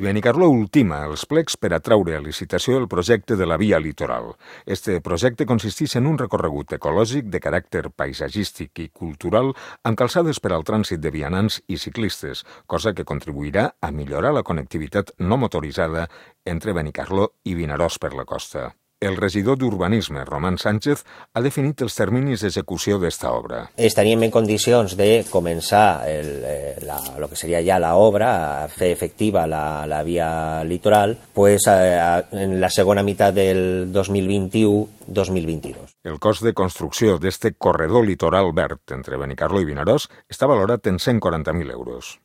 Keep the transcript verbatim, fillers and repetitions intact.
I Benicarló ultima els plecs per atraure a licitació el projecte de la Via Litoral. Este projecte consisteix en un recorregut ecològic de caràcter paisatgístic i cultural amb calçades per al trànsit de vianants i ciclistes, cosa que contribuirà a millorar la connectivitat no motoritzada entre Benicarló i Vinaròs per la costa. El regidor d'Urbanisme, Román Sánchez, ha definit els terminis d'execució d'esta obra. Estaríem en condicions de començar el, la, lo que seria ja la obra, a fer efectiva la, la via litoral, pues, a, a, en la segona meitat del dos mil vint-i-u dos mil vint-i-dos. El cost de construcció d'este corredor litoral verd entre Benicarló i Vinaròs està valorat en cent quaranta mil euros.